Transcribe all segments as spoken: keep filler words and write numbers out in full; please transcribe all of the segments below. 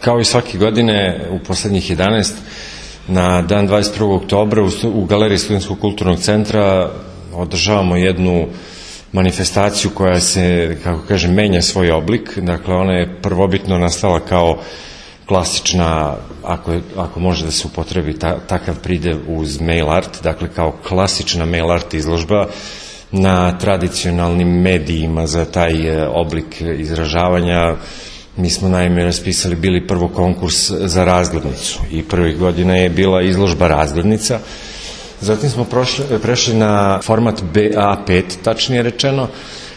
Kao i svake godine, u poslednjih jedanaest, na dan dvadeset prvog oktobra u Galeriji Studentskog kulturnog centra održavamo jednu manifestaciju koja se, kako kažem, menja svoj oblik. Dakle, ona je prvobitno nastala kao klasična, ako, ako može da se upotrebi ta, takav pridev uz mail art, dakle kao klasična mail art izložba na tradicionalnim medijima za taj oblik izražavanja. Mi smo naime raspisali bili prvo konkurs za razglednicu i prvih godina je bila izložba razglednica. Zatim smo prošli, prešli na format B A pet, tačnije rečeno,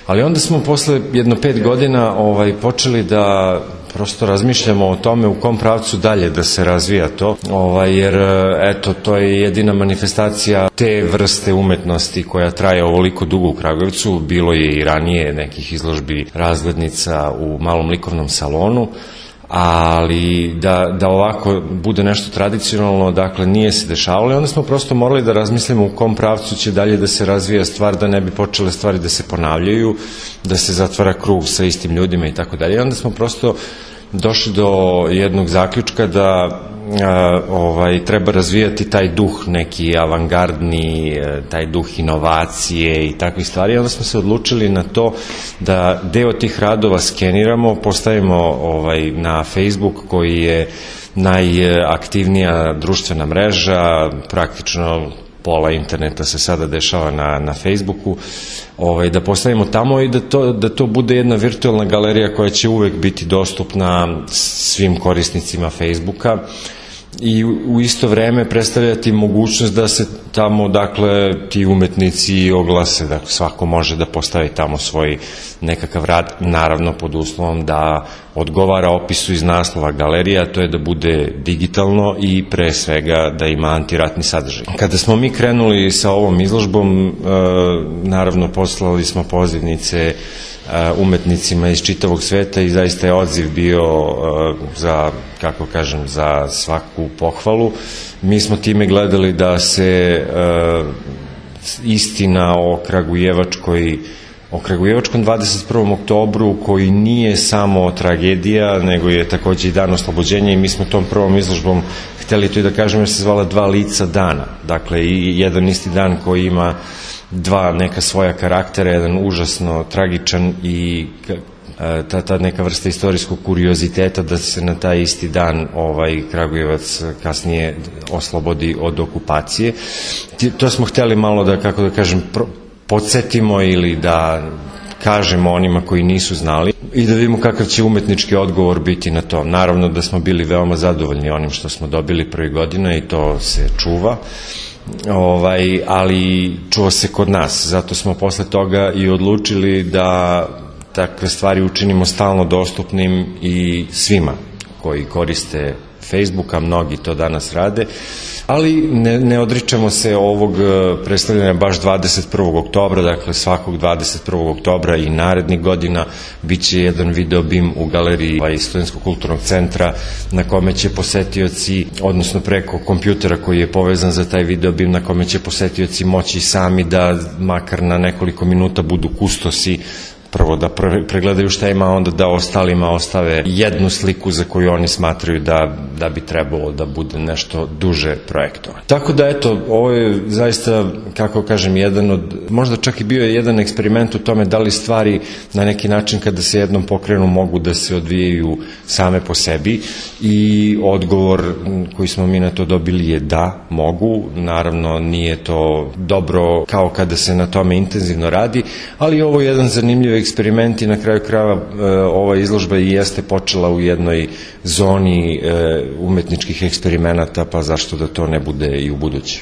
ali onda smo posle jedno pet godina ovaj, počeli da prosto razmišljamo o tome u kom pravcu dalje da se razvija to, ovaj, jer eto, to je jedina manifestacija te vrste umetnosti koja traje ovoliko dugo u Kragujevcu. Bilo je i ranije nekih izložbi razglednica u malom likovnom salonu, ali da, da ovako bude nešto tradicionalno, dakle, nije se dešavalo i onda smo prosto morali da razmislimo u kom pravcu će dalje da se razvija stvar, da ne bi počele stvari da se ponavljaju, da se zatvara krug sa istim ljudima i tako dalje. I onda smo prosto došli do jednog zaključka da a, ovaj, treba razvijati taj duh neki avangardni, taj duh inovacije i takvih stvari. I onda smo se odlučili na to da deo tih radova skeniramo, postavimo ovaj, na Facebook, koji je najaktivnija društvena mreža, praktično pola interneta se sada dešava na, na Facebooku, ovaj, da postavimo tamo i da to, da to bude jedna virtualna galerija koja će uvek biti dostupna svim korisnicima Facebooka i u isto vreme predstavljati mogućnost da se tamo, dakle, ti umetnici oglase, da svako može da postavi tamo svoj nekakav rad, naravno pod uslovom da odgovara opisu iz naslova galerija, to je da bude digitalno i pre svega da ima antiratni sadržaj. Kada smo mi krenuli sa ovom izložbom, naravno poslali smo pozivnice umetnicima iz čitavog sveta i zaista je odziv bio za, kako kažem, za svaku pohvalu. Mi smo time gledali da se istina o Kragujevačkoj o Kragujevačkom dvadeset prvom oktobru, koji nije samo tragedija, nego je takođe i dan oslobođenja, i mi smo tom prvom izložbom hteli to i da kažemo, jer se zvala Dva lica dana. Dakle, i jedan isti dan koji ima dva neka svoja karaktera, jedan užasno tragičan i ta, ta neka vrsta istorijskog kurioziteta da se na taj isti dan ovaj Kragujevac kasnije oslobodi od okupacije. To smo hteli malo da, kako da kažem, podsjetimo ili da kažemo onima koji nisu znali i da vidimo kakav će umetnički odgovor biti na to. Naravno da smo bili veoma zadovoljni onim što smo dobili prvi godina i to se čuva. Ovaj, ali čuva se kod nas, zato smo posle toga i odlučili da takve stvari učinimo stalno dostupnim i svima koji koriste Facebooka, mnogi to danas rade, ali ne, ne odričemo se ovog predstavljanja baš dvadeset prvog oktobra, dakle svakog dvadeset prvog oktobra i narednih godina biće jedan video bim u galeriji Studentskog kulturnog centra na kome će posetioci, odnosno preko kompjutera koji je povezan za taj video bim, na kome će posetioci moći sami da makar na nekoliko minuta budu kustosi, prvo da pregledaju šta ima, onda da ostalima ostave jednu sliku za koju oni smatraju da, da bi trebalo da bude nešto duže projektovano. Tako da, eto, ovo je zaista, kako kažem, jedan od, možda čak i bio je jedan eksperiment u tome da li stvari na neki način kada se jednom pokrenu mogu da se odvijaju same po sebi, i odgovor koji smo mi na to dobili je da, mogu. Naravno, nije to dobro kao kada se na tome intenzivno radi, ali ovo je jedan zanimljiv eksperiment i na kraju krajeva ova izložba i jeste počela u jednoj zoni umetničkih eksperimenata, pa zašto da to ne bude i u buduće.